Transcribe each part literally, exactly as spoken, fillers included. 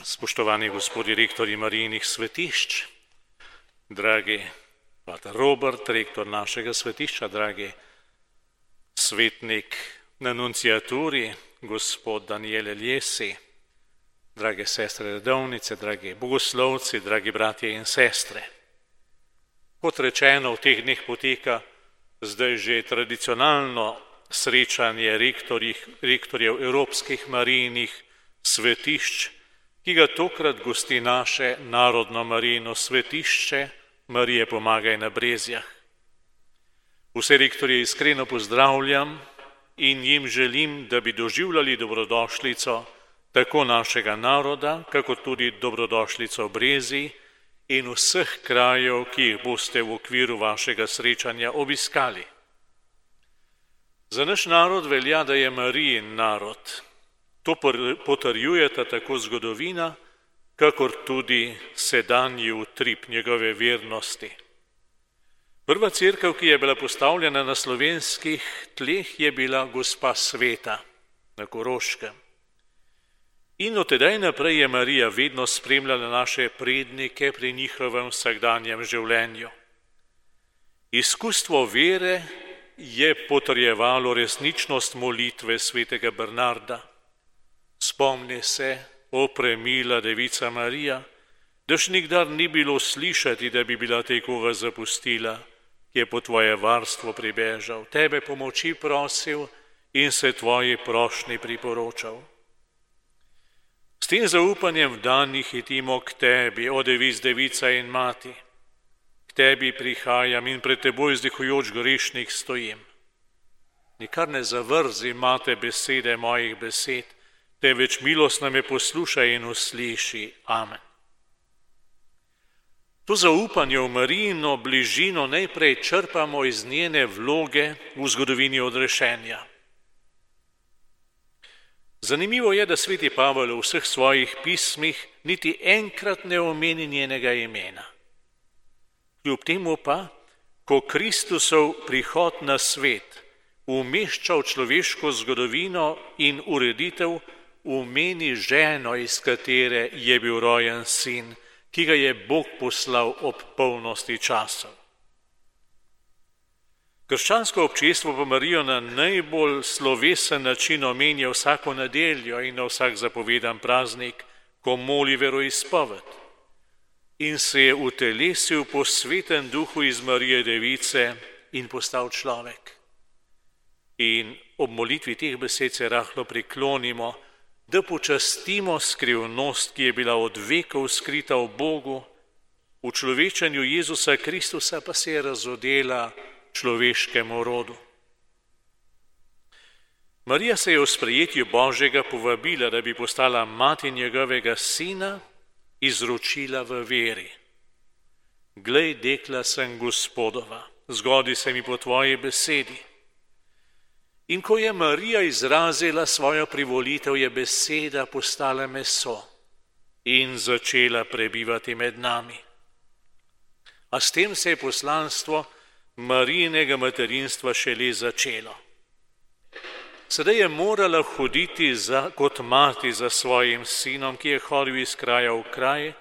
Spoštovani gospodi rektorji Marijinih svetišč, dragi pater Robert, rektor našega svetišča, dragi svetnik na nunciaturi, gospod Daniel Eljesi, drage sestre redovnice, dragi bogoslovci, dragi bratje in sestre. Kot rečeno, v teh dneh poteka zdaj že tradicionalno srečanje rektorjev Evropskih Marijinih svetišč, ki ga tokrat gosti naše narodno Marijino svetišče Marije Pomagaj na Brezjah. Vse rektorje iskreno pozdravljam in jim želim, da bi doživljali dobrodošlico tako našega naroda, kako tudi dobrodošlico Brezij in vseh krajev, ki jih boste v okviru vašega srečanja obiskali. Za naš narod velja, da je Marijin narod. To potrjujeta tako zgodovina, kakor tudi sedanji utrip njegove vernosti. Prva cerkev, ki je bila postavljena na slovenskih tleh, je bila Gospa Sveta na Koroškem. In od tedaj naprej je Marija vedno spremljala naše prednike pri njihovem vsakdanjem življenju. Izkustvo vere je potrjevalo resničnost molitve svetega Bernarda. Spomni se, o premila devica Marija, daš nikdar ni bilo slišati, da bi bila te koga zapustila, ki je po tvoje varstvo pribežal, tebe pomoči prosil in se tvoji prošnji priporočal. S tem zaupanjem v danih hitimo k tebi, o devic, devica in mati. K tebi prihajam in pred teboj vzdihujoč grešnik stojim. Nikar ne zavrzi, mate, besede mojih besed, teveč milostno me poslušaj in usliši. Amen. To zaupanje v Marijino bližino najprej črpamo iz njene vloge v zgodovini odrešenja. Zanimivo je, da sveti Pavel v vseh svojih pismih niti enkrat ne omeni njenega imena. Kljub temu pa, ko Kristusov prihod na svet umešča v človeško zgodovino in ureditev, umeni ženo, iz katere je bil rojen sin, ki ga je Bog poslal ob polnosti časov. Krščansko občestvo pa Marijo na najbolj slovesen način omenja vsako nedeljo in na vsak zapovedan praznik, ko moli veroizpoved. In se je utelesil po svetem duhu iz Marije Device in postal človek. In ob molitvi teh besed se rahlo priklonimo, da počastimo skrivnost, ki je bila od vekov skrita v Bogu, v človečenju Jezusa Kristusa pa se je razodela človeškemu rodu. Marija se je v sprejetju Božjega povabila, da bi postala mati njegovega sina, izročila v veri. Glej, dekla sem Gospodova, zgodi se mi po tvoji besedi. In ko je Marija izrazila svojo privolitev, je beseda postala meso in začela prebivati med nami. A s tem se je poslanstvo Marijinega materinstva šele začelo. Sedaj je morala hoditi za, kot mati za svojim sinom, ki je hodil iz kraja v kraj,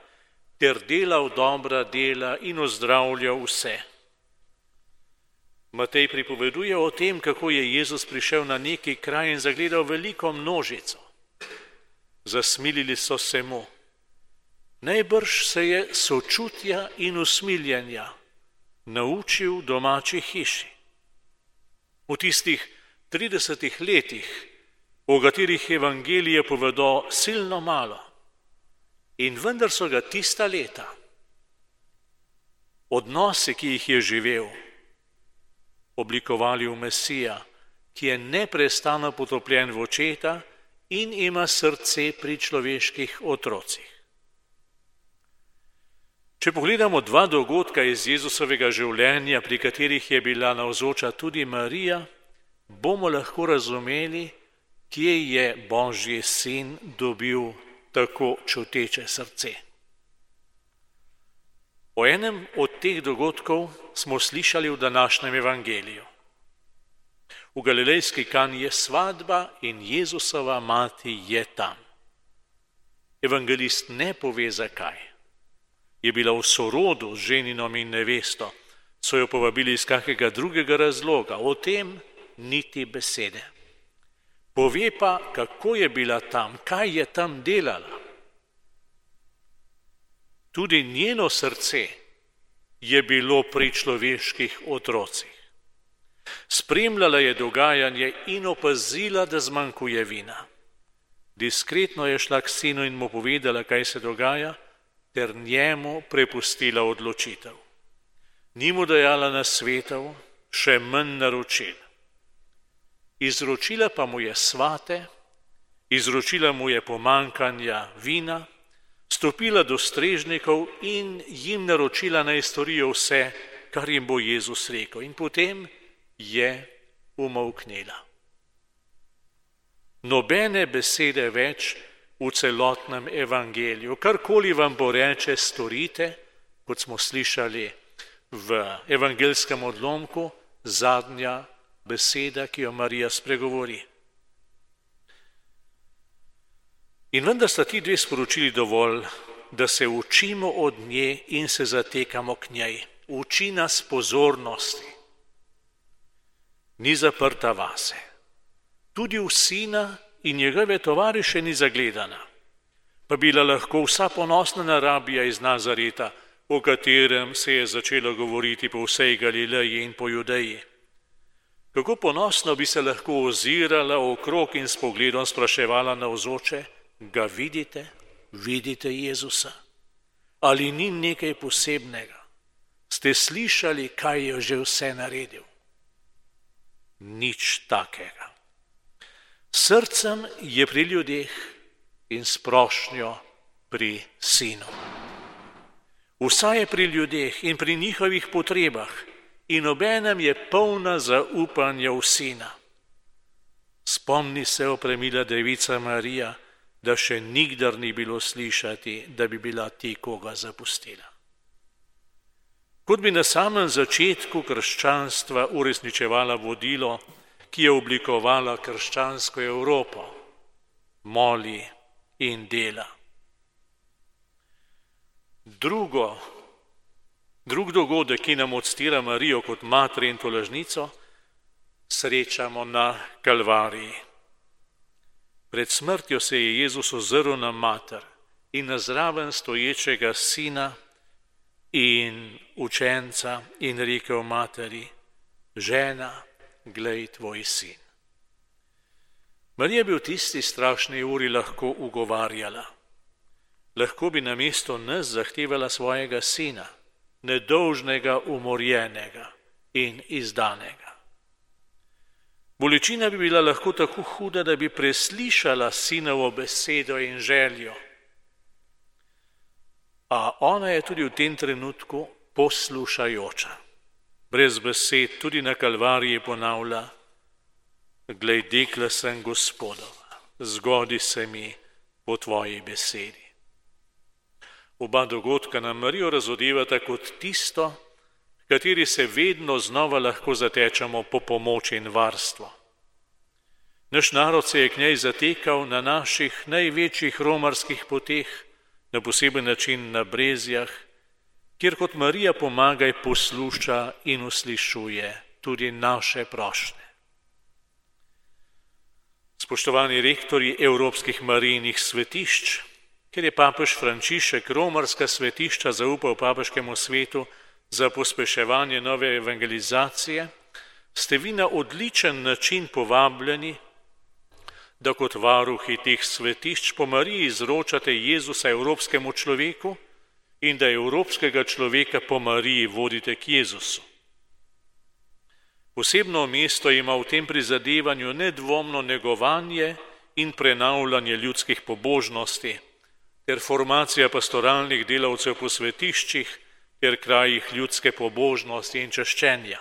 ter delal dobra dela in ozdravljal vse. Matej pripoveduje o tem, kako je Jezus prišel na neki kraj in zagledal veliko množico. Zasmilili so se mu. Najbrž se je sočutja in usmiljenja naučil domači hiši. V tistih tridesetih letih, o katerih evangelije povedo silno malo. In vendar so ga tista leta, odnosi, ki jih je živel, oblikovali v Mesija, ki je neprestano potopljen v očeta in ima srce pri človeških otrocih. Če pogledamo dva dogodka iz Jezusovega življenja, pri katerih je bila navzoča tudi Marija, bomo lahko razumeli, kje je Božji sin dobil tako čuteče srce. O enem od teh dogodkov smo slišali v današnjem evangeliju. V galilejski Kani je svadba in Jezusova mati je tam. Evangelist ne pove zakaj. Je bila v sorodu z ženinom in nevesto, so jo povabili iz kakega drugega razloga, o tem niti besede. Pove pa, kako je bila tam, kaj je tam delala. Tudi njeno srce je bilo pri človeških otrocih. Spremljala je dogajanje in opazila, da zmanjkuje vina. Diskretno je šla k sinu in mu povedala, kaj se dogaja, ter njemu prepustila odločitev. Ni mu dajala nasvetov, še manj naročil. Izročila pa mu je svate, izročila mu je pomanjkanja vina, stopila do strežnikov in jim naročila, naj storijo vse, kar jim bo Jezus rekel. In potem je umolknila. Nobene besede več v celotnem evangeliju. Karkoli vam bo reče, storite, kot smo slišali v evangelskem odlomku, zadnja beseda, ki jo Marija spregovori. In vendar sta ti dve sporočili dovolj, da se učimo od nje in se zatekamo k njej. Uči nas pozornosti. Ni zaprta vase. Tudi v sina in njegove tovariše ni zagledana. Pa bila lahko vsa ponosna narabija iz Nazareta, o katerem se je začelo govoriti po vsej Galileji in po Judeji. Kako ponosno bi se lahko ozirala okrog in s pogledom spraševala navzoče, ga vidite, vidite Jezusa? Ali ni nekaj posebnega? Ste slišali, kaj je že vse naredil? Nič takega. Srcem je pri ljudeh in s prošnjo pri sinu. Vsa je pri ljudeh in pri njihovih potrebah in obenem je polna zaupanja v sina. Spomni se, opremila devica Marija, da še nikdar ni bilo slišati, da bi bila ti koga zapustila. Kot bi na samem začetku krščanstva uresničevala vodilo, ki je oblikovala krščansko Evropo, moli in dela. Drugo, drug dogodek, ki nam odstira Marijo kot mater in tolažnico, srečamo na Kalvariji. Pred smrtjo se je Jezus ozrl na mater in na zraven stoječega sina in učenca in rekel materi, žena, glej tvoj sin. Marija bi v tisti strašni uri lahko ugovarjala. Lahko bi namesto nas zahtevala svojega sina, nedolžnega, umorjenega in izdanega. Bolečina bi bila lahko tako huda, da bi preslišala sinovo besedo in željo. A ona je tudi v tem trenutku poslušajoča. Brez besed tudi na Kalvariji ponavlja, glej, dekla sem Gospodova, zgodi se mi po tvoji besedi. Oba dogodka nam Marijo razodevata kot tisto, v kateri se vedno znova lahko zatečemo po pomoč in varstvo. Naš narod se je k njej zatekal na naših največjih romarskih poteh, na poseben način na Brezjah, kjer kot Marija pomagaj posluša in uslišuje tudi naše prošnje. Spoštovani rektorji evropskih Marijinih svetišč, ker je papež Frančišek romarska svetišča zaupal papeškemu svetu za pospeševanje nove evangelizacije, ste vi na odličen način povabljeni, da kot varuhi teh svetišč po Mariji izročate Jezusa evropskemu človeku in da evropskega človeka po Mariji vodite k Jezusu. Posebno mesto ima v tem prizadevanju nedvomno negovanje in prenavljanje ljudskih pobožnosti ter formacija pastoralnih delavcev po svetiščih ter krajih ljudske pobožnosti in čaščenja.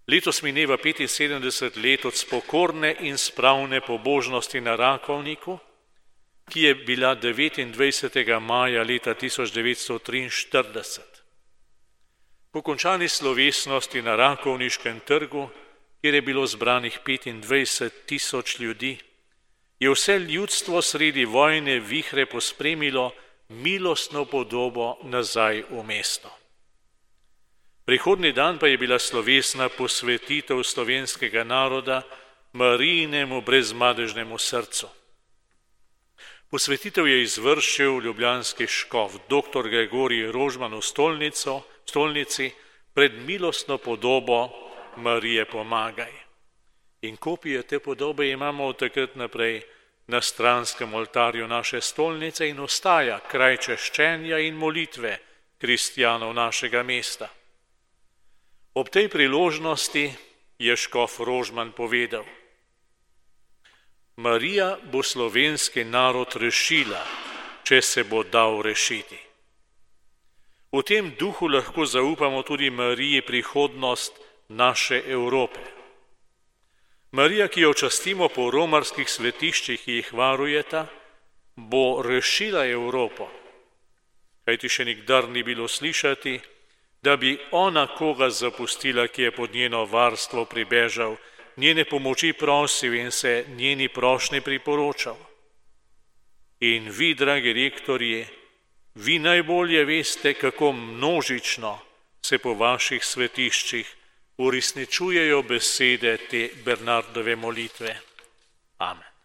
Letos mineva petinsedemdeset let od spokorne in spravne pobožnosti na Rakovniku, ki je bila devetindvajsetega maja leta tisoč devetsto triinštirideset. Po končani slovesnosti na Rakovniškem trgu, kjer je bilo zbranih petindvajset tisoč ljudi, je vse ljudstvo sredi vojne vihre pospremilo milostno podobo nazaj v mesto. Prihodnji dan pa je bila slovesna posvetitev slovenskega naroda Marijinemu brezmadežnemu srcu. Posvetitev je izvršil ljubljanski škof doktor Gregorij Rožman v stolnico, stolnici pred milostno podobo Marije Pomagaj. In kopije te podobe imamo od takrat naprej na stranskem oltarju naše stolnice in ostaja kraj češčenja in molitve kristjanov našega mesta. Ob tej priložnosti je škof Rožman povedal: Marija bo slovenski narod rešila, če se bo dal rešiti. V tem duhu lahko zaupamo tudi Mariji prihodnost naše Evrope. Marija, ki jo častimo po romarskih svetiščih, ki jih varujeta, bo rešila Evropo. Kajti še nikdar ni bilo slišati, da bi ona koga zapustila, ki je pod njeno varstvo pribežal, njene pomoči prosil in se njeni prošnji priporočal. In vi, dragi rektorji, vi najbolje veste, kako množično se po vaših svetiščih uresničujejo besede te Bernardove molitve. Amen.